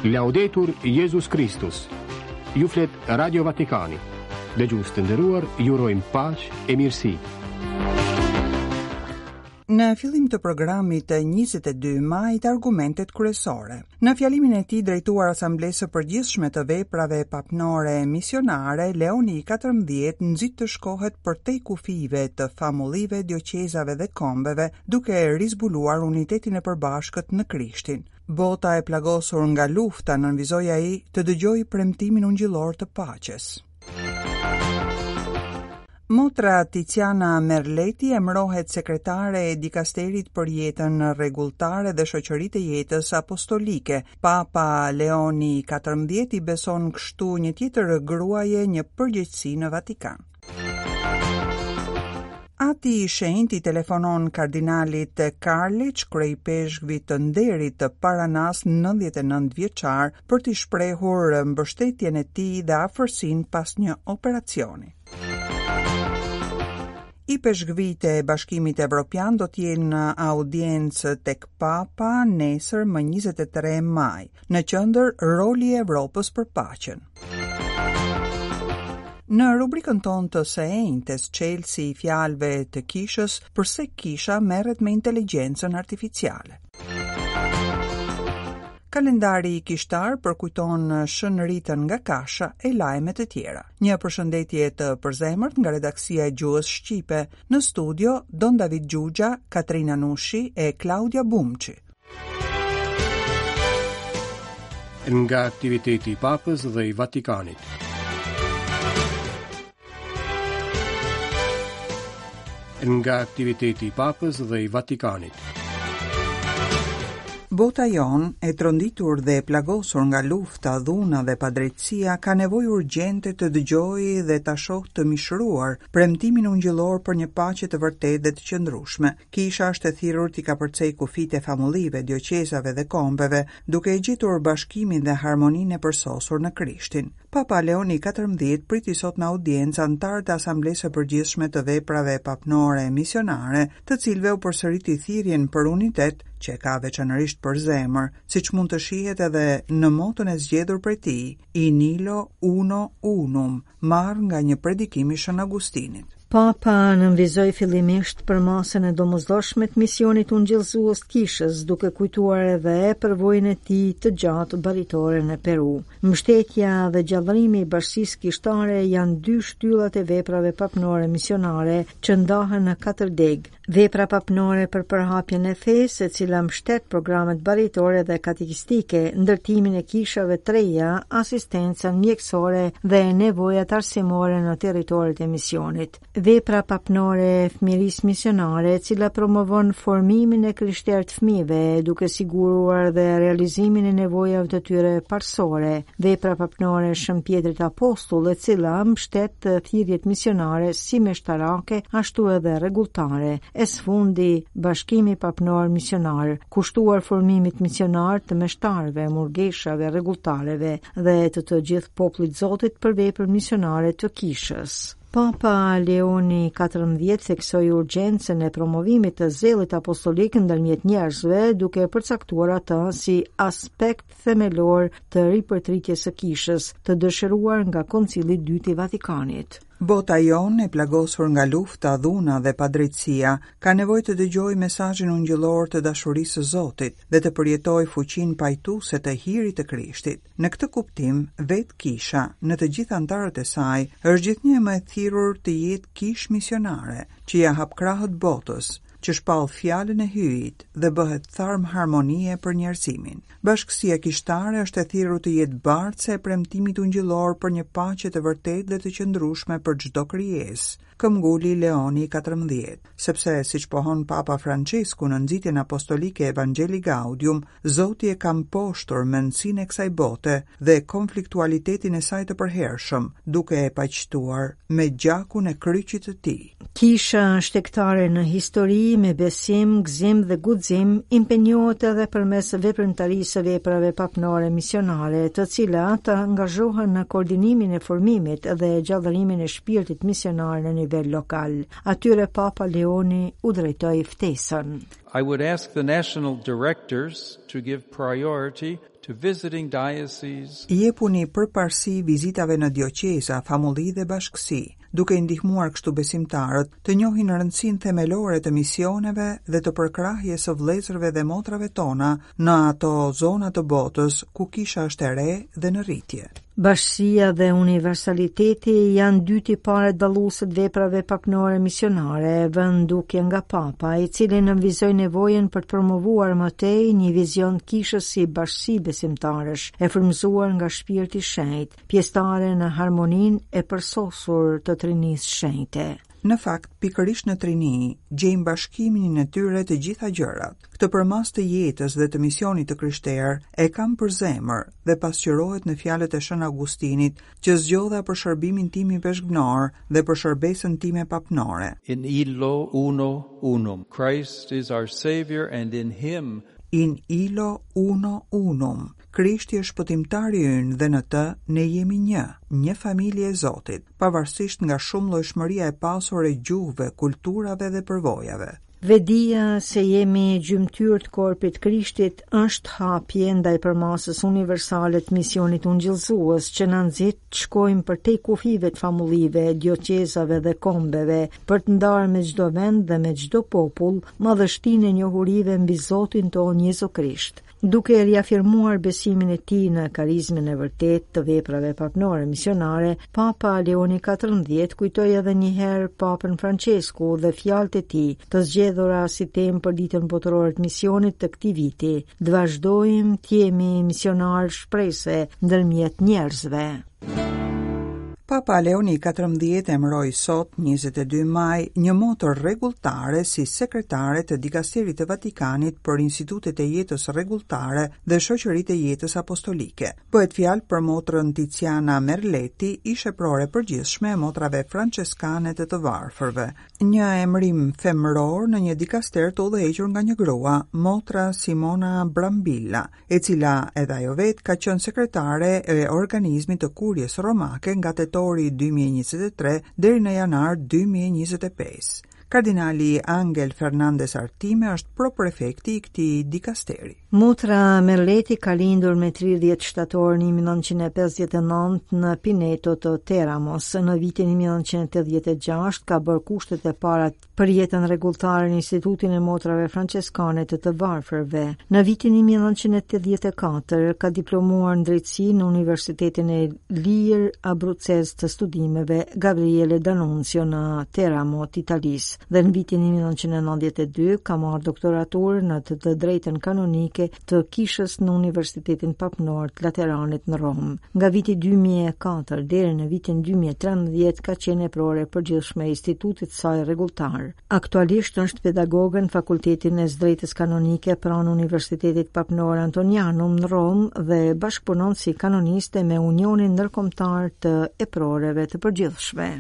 Laudetur Jezus Kristus. Ju flet Radio Vatikani. Dëgjues të nderuar, ju urojmë paqe e mirësi. Në fillim të programit të 22 majit argumentet kryesore. Në fjalimin e tij drejtuar Asamblesë së Përgjithshme të Veprave Papnore Misionare, Leoni i 14 nxit të shkohet përtej kufijve të famullive, dioqezave dhe kombeve, duke rizbuluar unitetin e përbashkët në Krishtin. Bota e plagosur nga lufta, nënvizoi ai, të dëgjojë premtimin ungjillor të paqes. Motra Tiziana Merleti emërohet sekretare e dikasterit për jetën rregulltare dhe shoqëritë e jetës apostolike. Papa Leoni XIV i beson kështu një tjetër gruaje një përgjegjësi në Vatikan. Ati i Shenjtë i telefonon kardinalit Karliç, kryeipeshkvit të nderit të Paranas 99 vjeçar, për t'i shprehur mbështetjen e tij dhe afërsinë pas një operacioni. Ipeshkvijtë e Bashkimit Evropian do të jenë në audiencë tek Papa nesër më 23 maj. Në qendër roli i Evropës për paqen. Në rubrikën tonë të së enjtes, çelësi i fjalëve të kishës, përse kisha merret me inteligjencën artificiale. Kalendari kishtar përkujton Shën Ritën nga Kasha e lajme të tjera. Një përshëndetje të përzemërt nga redaksia e gjuhës shqipe. Në studio Don David Xhuxha, Katrina Nushi e Klaudia Bumçi. Nga aktiviteti i Papës dhe i Vatikanit. Nga aktiviteti i Papës dhe i Vatikanit. Bota jonë, e tronditur dhe e plagosur nga lufta, dhuna dhe padrejtësia, ka nevojë urgjente të dëgjojë dhe ta shohë të mishëruar premtimin ungjillor për një paqe të vërtetë dhe të qëndrueshme. Kisha është e thirrur t'i kapërcejë kufijtë e famullive, dioqezave dhe kombeve, duke e gjetur bashkimin dhe harmoninë e përsosur në Krishtin. Papa Leoni XIV priti sot në audiencë anëtarët e Asamblesë së Përgjithshme të Veprave Papnore Misionare, të cilëve u përsëriti thirrjen për unitet, që e ka veçanërisht për zemër, siç mund të shihet edhe në moton e zgjedhur prej tij, In illo uno unum, marrë nga një predikim i Shën Augustinit. Papa nënvizoi fillimisht përmasën e domosdoshme të misionit ungjillëzues të kishës, duke kujtuar edhe përvojën e tij të gjatë baritore në Peru. Mbështetja dhe gjallërimi i bashkësisë kishtare janë dy shtyllat e veprave papnore misionare që ndahen në katër degë, Vepra papnore për përhapjen e fesë, e cila mbështet programet baritore dhe katekistike, ndërtimin e kishave të reja, asistencën mjekësore dhe nevojat arsimore në territoret e misionit. Vepra papnore e fëmijërisë misionare, e cila promovon formimin e krishterë të fëmijëve, duke siguruar dhe realizimin e nevojave të tyre parësore. Vepra papnore e Shën Pjetrit Apostull, e cila mbështet thirrjet misionare si meshtarake, ashtu edhe rregulltare, e së fundi Bashkimi Papnor Misionar, kushtuar formimit misionar të meshtarëve, murgeshave, rregulltareve dhe të të gjithë popullit Zotit për veprën misionare të kishës. Papa Leoni XIV theksoi urgjencën e promovimit të zellit apostolik ndërmjet njerëzve, duke e përcaktuar atë si aspekt themelor të ripërtritjes së kishës, të dëshiruar nga Koncili i Dytë i Vatikanit. Bota jonë, e plagosur nga lufta, dhuna dhe padrejtësia, ka nevojë të dëgjojë mesazhin ungjillor të dashurisë së Zotit dhe të përjetojë fuqinë pajtuese të hirit të Krishtit. Në këtë kuptim, vetë Kisha, në të gjithë anëtarët e saj, është gjithnjë e më e thirrur të jetë kishë misionare, që ia hap krahët botës, që shpall fjalën e Hyjit dhe bëhet tharm harmonie për njerëzimin. Bashkësia kishtare është e thirrur të jetë bartëse e premtimit ungjillor për një paqe të vërtetë dhe të qëndrueshme për çdo krijesë, këmbguli Leoni i 14, sepse, siç pohon Papa Françesku në nxitjen apostolike Evangelii Gaudium, Zoti e ka mposhtur mendësinë e kësaj bote dhe konfliktualitetin e saj të përhershëm, duke e paqtuar me gjakun e kryqit të tij. Kisha shtegtare në histori me besim, gëzim dhe guxim impenjohet edhe përmes veprimtarisë së veprave papnore misionare, të cilat angazhohen në koordinimin e formimit dhe gjallërimin e shpirtit misionar në nivel lokal. Atyre Papa Leoni u drejtoi ftesën. I would ask the national directors to give priority. to visiting dioceses. Jepuni përparësi vizitave në dioqeza, famulli dhe bashkësi, duke i ndihmuar kështu besimtarët të njohin rëndësinë themelore të misioneve dhe të përkrahjes së vëllezërve dhe motrave tona në ato zona të botës ku kisha është e re dhe në rritje. Bashkësia dhe universaliteti janë dy tiparet dalluese të veprave papnore misionare, vënë në dukje nga Papa, i cili nënvizoi nevojën për të promovuar më tej një vizion të kishës si bashkësi besimtarësh, e frymëzuar nga Shpirti i Shenjtë, pjesëtare në harmoninë e përsosur të Trinisë Shenjte. Në fakt, pikërisht në Trini, gjejmë bashkimin e tyre të gjitha gjërat. Këtë përmasë të jetës dhe të misionit të krishterë e kam për zemër dhe pasqyrohet në fjalët e Shën Augustinit që zgjodha për shërbimin tim ipeshkvnor dhe për shërbesën time papnore. In illo uno unum. Christ is our Savior and in him In illo uno unum. Krishti është shpëtimtari ynë dhe në të ne jemi një, një familje e Zotit, pavarësisht nga shumëllojshmëria e pasur e gjuhëve, kulturave dhe përvojave. Vetëdija se jemi gjymtyrë të korpit të Krishtit është hapje ndaj përmasës universale të misionit ungjillëzues që na nxit të shkojmë përtej kufijve të famullive, dioqezave dhe kombeve, për të ndarë me çdo vend dhe me çdo popull madhështinë e njohurive mbi Zotin tonë Jezu Krisht. Duke riafirmuar besimin e tij në karizmën e vërtetë të veprave papnore misionare, Papa Leoni XIV kujtoi edhe një herë Papën Françesku dhe fjalët e tij, të zgjedhura si temë për Ditën Botërore të Misionit të këtij viti, të vazhdojmë të jemi misionarë shprese ndërmjet njerëzve. Papa Leoni XIV emëroi sot, 22 maj, një motër rregulltare si sekretare të Dikasterit të Vatikanit për Institutet e Jetës Rregulltare dhe Shoqëritë e Jetës Apostolike. Bëhet fjalë për motrën Tiziana Merletti, ish-eprore e përgjithshme e motrave françeskane të të varfërve. Një emërim femëror në një dikaster të udhëhequr nga një grua, motra Simona Brambilla, e cila edhe ajo vetë ka qenë sekretare e organizmit të Kuries Romake nga tetori 2023 deri në janar 2025. Kardinali Angel Fernandez Artime është proprefekti i këtij dikasteri. Motra Merleti ka lindur me 30 shtator 1959 në Pineto të Teramos. Në vitin 1986 ka bërë kushtet e para për jetën rregulltare në Institutin e Motrave Françeskane të të Varfërve. Në vitin 1984 ka diplomuar në drejtësi në Universitetin e Lirë Abrucez të Studimeve Gabriele D'Annunzio në Teramo të Italisë dhe në vitin 1992 ka marrë doktoraturë në të, të drejtën kanonike të Kishës në Universitetin Papnor të Lateranit në Romë. Nga viti 2004 deri në vitin 2013 ka qenë eprore e përgjithshme e institutit të saj rregulltar. Aktualisht është pedagoge në Fakultetin e së Drejtës Kanonike pranë Universitetit Papnor Antonianum në Romë dhe bashkëpunon si kanoniste me Unionin Ndërkombëtar të Eproreve të Përgjithshme.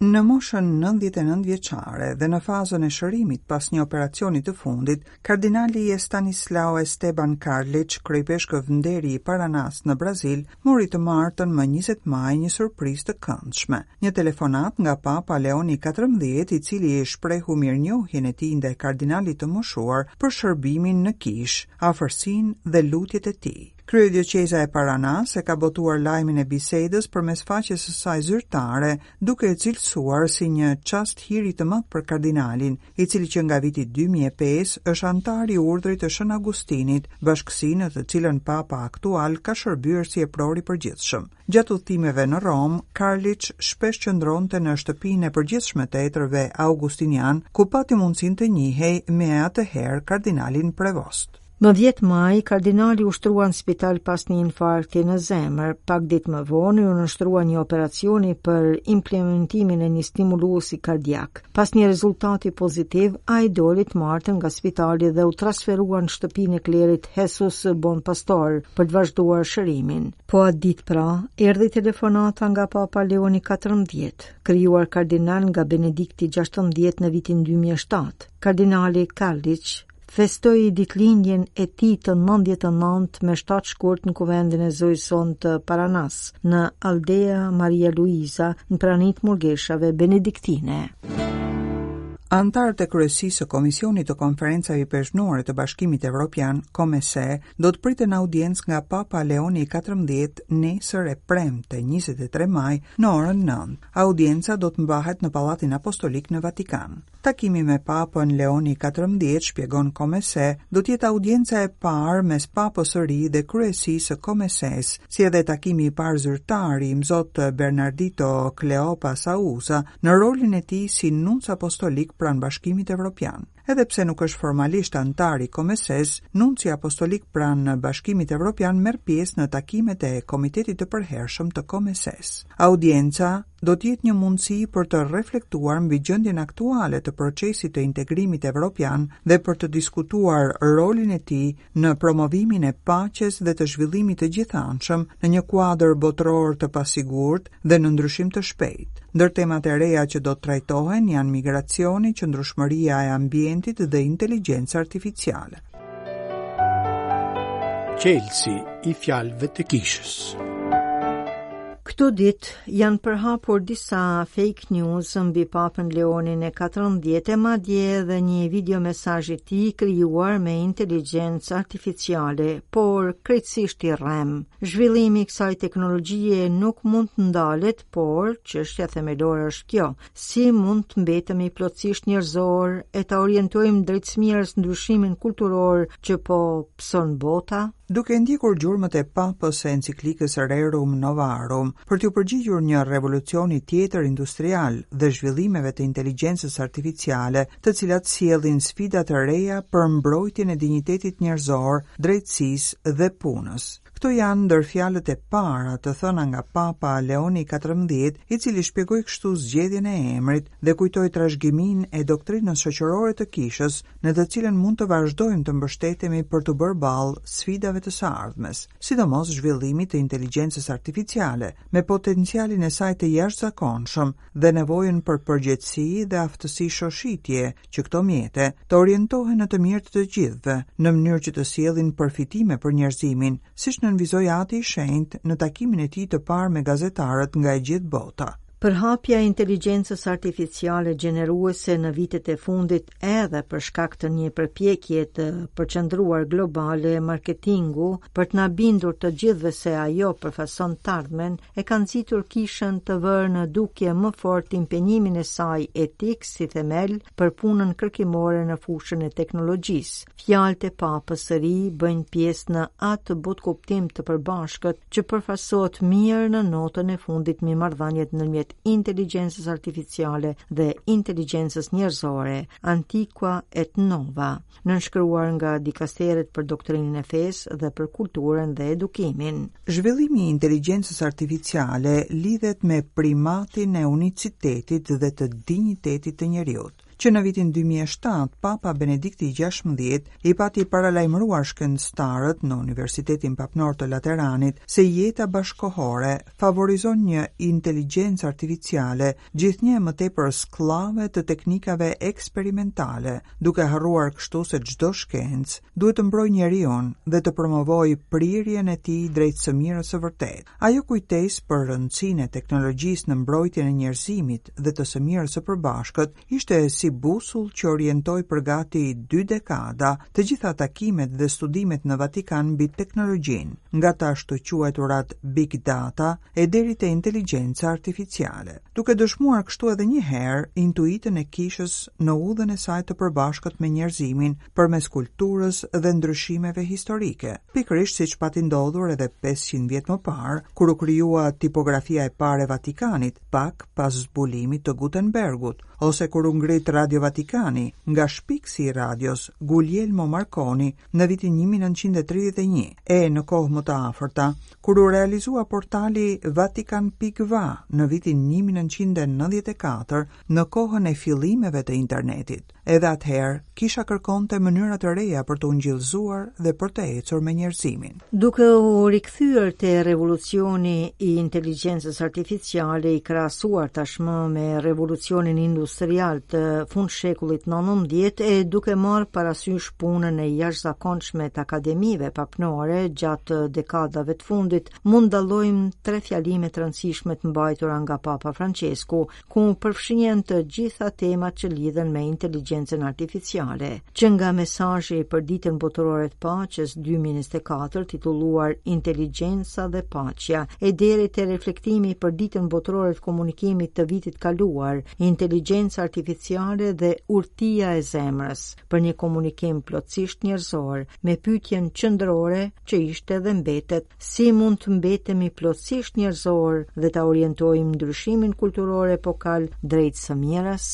Në moshën 99 vjeçare dhe në fazën e shërimit pas një operacioni të fundit, Kardinali Estanislao Esteban Karliç, kryeipeshkëv nderi i Paranasë në Brazil, mori të martën më 20 maj një surprizë të këndshme. Një telefonatë nga Papa Leoni XIV, i cili i shprehu mirënjohjen e tij ndaj kardinalit të moshuar për shërbimin në kishë, afërsinë dhe lutjet e tij. Kryedioqeza e Paranasë e ka botuar lajmin e bisedës përmes faqes së saj zyrtare, duke e cilësuar si një çast hiri të madh për kardinalin, i cili që nga viti 2005 është anëtar i Urdhrit të Shën Augustinit, bashkësi në të cilën Papa aktual ka shërbyer si epror i përgjithshëm. Gjatë udhëtimeve në Romë, Karliç shpesh qëndronte në shtëpinë e përgjithshme të etërve augustinianë, ku pati mundësinë të njihej me atëherë kardinalin Prevost. Më 10 maj, kardinali u shtrua në spital pas një infarkti në zemër. Pak ditë më vonë, iu nënshtrua një operacioni për implementimin e një stimuluesi kardiak. Pas një rezultati pozitiv, ai doli të martën nga spitali dhe u transferua në shtëpinë e klerit Jesus Bon Pastor për të vazhduar shërimin. Po atë ditë pra, erdhi telefonata nga Papa Leoni XIV, krijuar kardinal nga Benedikti XVI në vitin 2007. Kardinali Karliç festoi ditëlindjen e tij të 99 me 7 shkurt në kuvendin e Zojës sonë të Paranas, në Aldea Maria Luiza, në prani të murgeshave benediktine. Anëtarët e kryesisë së Komisionit të Konferencave Ipeshkvnore të Bashkimit Evropian, COMECE, do të priten në audiencë nga Papa Leoni i 14 nesër e premte 23 maj në orën 9. Audienca do të mbahet në Pallatin Apostolik në Vatikan. Takimi me Papën Leoni 14, shpjegon COMECE, do të jetë audienca e parë mes Papës së ri dhe kryesisë së COMECE-s, si edhe takimi i parë zyrtar i Imzot Bernardito Cleopa Sauza në rolin e tij si nunc apostolik pranë Bashkimit Evropian. Edhe pse nuk është formalisht anëtar i COMECE-s, nunci apostolik pranë Bashkimit Evropian merr pjesë në takimet e Komitetit të Përhershëm të COMECE-s. Audienca do të jetë një mundësi për të reflektuar mbi gjendjen aktuale të procesit të integrimit evropian dhe për të diskutuar rolin e tij në promovimin e paqes dhe të zhvillimit të gjithanshëm në një kuadër botëror të pasigurt dhe në ndryshim të shpejtë. Ndër temat e reja që do të trajtohen janë migracioni, qëndrueshmëria e ambientit dhe inteligjenca artificiale. Çelësi i fjalëve të kishës. Këto ditë janë përhapur disa fake news mbi Papën Leonin e 14 e madje edhe një video mesazh i tij krijuar me inteligjencë artificiale, por krejtësisht i rremë. Zhvillimi i kësaj teknologjie nuk mund të ndalet, por çështja themelore është kjo: si mund të mbetemi plotësisht njerëzor e ta orientojmë drejt së mirës ndryshimin kulturor që po pëson bota? Duke ndjekur gjurmët e Papës së enciklikës Rerum Novarum, për t'iu përgjigjur një revolucioni tjetër industrial dhe zhvillimeve të inteligjencës artificiale, të cilat sjellin sfida të reja për mbrojtjen e dinjitetit njerëzor, drejtësisë dhe punës. Këto janë ndër fjalët e para të thëna nga Papa Leoni XIV, i cili shpjegoi kështu zgjedhjen e emrit dhe kujtoi trashëgiminë e doktrinës shoqërore të Kishës në të cilën mund të vazhdojmë të mbështetemi për t'u bërë ballë sfidave të së ardhmes, sidomos zhvillimit të inteligjencës artificiale, me potencialin e saj të jashtëzakonshëm dhe nevojën për përgjegjësi dhe aftësi shoshitje që këto mjete të orientohen në të mirë të të gjithëve, në mënyrë që të sjellin përfitime për njerëzimin, siç nënvizoi Ati i Shenjtë në takimin e tij të parë me gazetarët nga e gjithë bota. Përhapja e inteligjencës artificiale gjeneruese në vitet e fundit edhe për shkak të një përpjekje të përqendruar globale marketingu për të na bindur të gjithëve se ajo përfaqëson të ardhmen, e ka nxitur kishën të vërë në dukje më fort impenjimin e saj etik si themel për punën kërkimore në fushën e teknologjisë. Fjalët e Papës së ri bëjnë pjesë në atë botëkuptim të përbashkët që përfaqësohet mirë në notën e fundit mbi marrëdhëniet ndërmjet inteligjencës artificiale dhe inteligjencës njerëzore, Antiqua et Nova, nënshkruar nga dikasteret për doktrinën e fesë dhe për kulturën dhe edukimin. Zhvillimi i inteligjencës artificiale lidhet me primatin e unicitetit dhe të dinjitetit të njeriut. Që në vitin 2007, Papa Benedikti i XVI i pati paralajmëruar shkencëtarët në Universitetin Papnor të Lateranit se jeta bashkëkohore favorizon një inteligjencë artificiale gjithnjë e më tepër skllave të teknikave eksperimentale, duke harruar kështu se çdo shkencë duhet të mbrojë njeriun dhe të promovojë prirjen e tij drejt së mirës së vërtetë. Ajo kujtesë për rëndësinë e teknologjisë në mbrojtjen e njerëzimit dhe të së mirës së përbashkët ishte si busull që orientoi për gati dy dekada të gjitha takimet dhe studimet në Vatikan mbi teknologjinë, nga të ashtuquajturat Big Data e deri te inteligjenca artificiale, duke dëshmuar kështu edhe një herë intuitën e kishës në udhën e saj të përbashkët me njerëzimin përmes kulturës dhe ndryshimeve historike, pikërisht siç pati ndodhur edhe 500 vjet më parë, kur u krijua tipografia e parë e Vatikanit, pak pas zbulimit të Gutenbergut, ose kur u ngrit Radio Vatikani nga shpikësi i radios Guglielmo Marconi në vitin 1931, e në kohë më të afërta, kur u realizua portali Vatican.va në vitin 1994, në kohën e fillimeve të internetit. Edhe atëherë, kisha kërkonte mënyra të reja për të ungjillëzuar dhe për të ecur me njerëzimin. Duke u rikthyer te revolucioni i inteligjencës artificiale i krahasuar tashmë me revolucionin industrial të fundshekullit 19 e duke marrë parasysh punën e jashtëzakonshme të akademive papnore gjatë dekadave të fundit, mund dallojmë tre fjalime të rëndësishme të mbajtura nga Papa Francesku, ku përfshihen të gjitha temat që lidhen me inteligjencën artificiale, që nga mesazhi për Ditën Botërore të Paqes 2024 titulluar Inteligjenca dhe Paqja, e deri te reflektimi për Ditën Botërore të Komunikimit të vitit kaluar, Inteligjenca Artificiale dhe Urtia e Zemrës, për një komunikim plotësisht njerëzor, me pyetjen qendrore që ishte dhe mbetet Si mund të mbetemi plotësisht njerëzorë dhe ta orientojmë ndryshimin kulturor epokal drejt së mirës?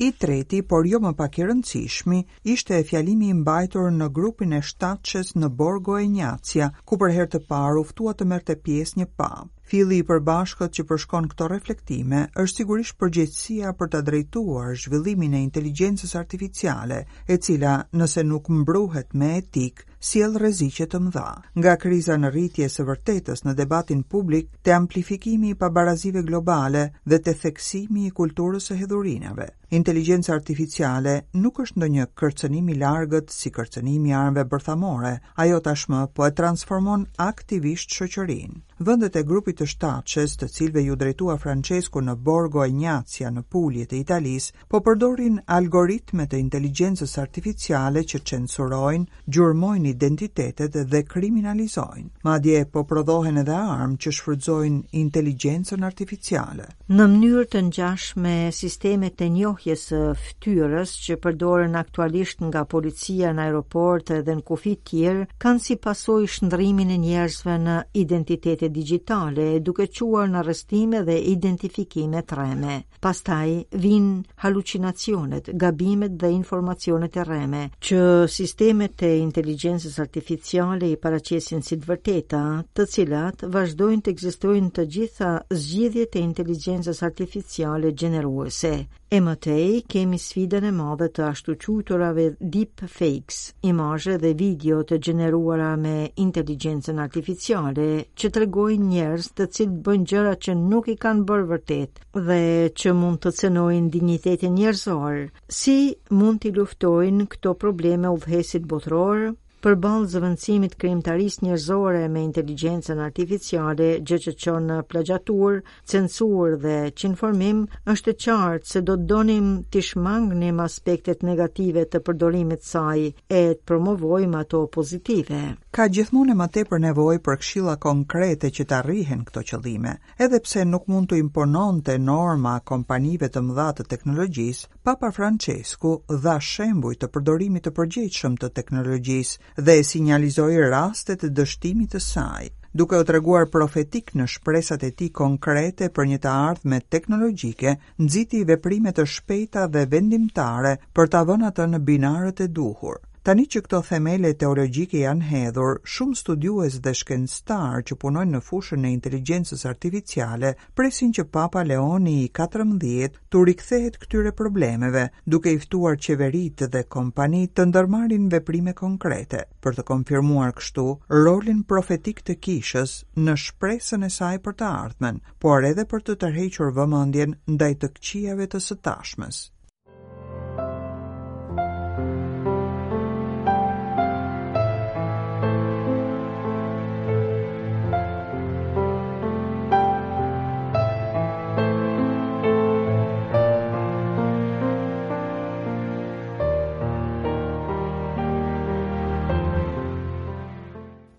I treti, por jo më pak i rëndësishmi, ishte fjalimi i mbajtur në grupin e shtatëshes në Borgo Egnazia, ku për herë të parë u ftua të merrte pjesë një papë. Filli i përbashkët që përshkon këto reflektime është sigurisht përgjegjësia për ta drejtuar zhvillimin e inteligjencës artificiale, e cila, nëse nuk mbruhet me etikë, sjell rreziqe të mëdha. Nga kriza në rritje e së vërtetës në debatin publik te amplifikimi i pabarazive globale dhe te theksimi i kulturës së hedhurinave. Inteligjenca artificiale nuk është ndonjë kërcënim i largët si kërcënimi i armëve bërthamore, ajo tashmë po e transformon aktivisht shoqërinë. Vendet e grupit të shtatëshes, të cilëve iu drejtua Francesku në Borgo Egnazia në Pulje të Italisë, po përdorin algoritme të inteligjencës artificiale që censurojnë, gjurmojnë identitetet dhe kriminalizojnë. Madje po prodhohen edhe armë që shfrytëzojnë inteligjencën artificiale. Në mënyrë të ngjashme, sistemet e njohjes së fytyrës që përdoren aktualisht nga policia në aeroporte dhe në kufij të tjerë, kanë si pasojë shndërrimin e njerëzve në identitete digjitale, duke çuar në arrestime dhe identifikime të rreme. Pastaj vijnë halucinacionet, gabimet dhe informacionet e rreme, që sistemet e inteligjencës artificiale i paraqesin si të vërteta, të cilat vazhdojnë të ekzistojnë të gjitha zgjidhjet e inteligjencës artificiale gjeneruese. E më tej kemi sfidën e madhe të ashtuquajturave deep fakes, imazhe dhe video të gjeneruara me inteligjencën artificiale që tregojnë njerëz të cilët bëjnë gjëra që nuk i kanë bërë vërtet dhe që mund të cenojnë dinjitetin njerëzor. Si mund t'i luftojnë këto probleme udhëheqësit botërorë? Përballë zëvendësimit të krijimtarisë njerëzore me inteligjencën artificiale, gjë që çon në plagjiaturë, censurë dhe çinformim, është e qartë se do të donim t'i shmangnim aspektet negative të përdorimit të saj e të promovojmë ato pozitive. Ka gjithmonë e më tepër nevojë për këshilla konkrete që të arrihen këto qëllime. Edhe pse nuk mund t'u impononte norma kompanive të mëdha të teknologjisë, Papa Françesku dha shembuj të përdorimit të përgjegjshëm të teknologjisë dhe sinjalizoi rastet e dështimit të saj, duke u treguar profetik në shpresat e tij konkrete për një të ardhme teknologjike, nxiti veprime të shpejta dhe vendimtare për ta vënë atë në binarët e duhur. Tani që këto themele teologjike janë hedhur, shumë studiues dhe shkencëtarë që punojnë në fushën e inteligjencës artificiale presin që Papa Leoni i 14 t'u rikthehet këtyre problemeve, duke i ftuar qeveritë dhe kompanitë të ndërmarrin veprime konkrete, për të konfirmuar kështu rolin profetik të kishës në shpresën e saj për të ardhmen, por edhe për të tërhequr vëmendjen ndaj të këqijave të së tashmes.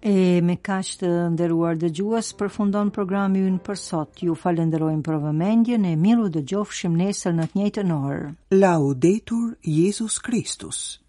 E me kaq të nderuar dëgjues përfundon programi ynë për sot. Ju falënderojmë për vëmendjen e mirudëgjofshim nesër në të njëjtën orë. Laudetur Jezus Kristus.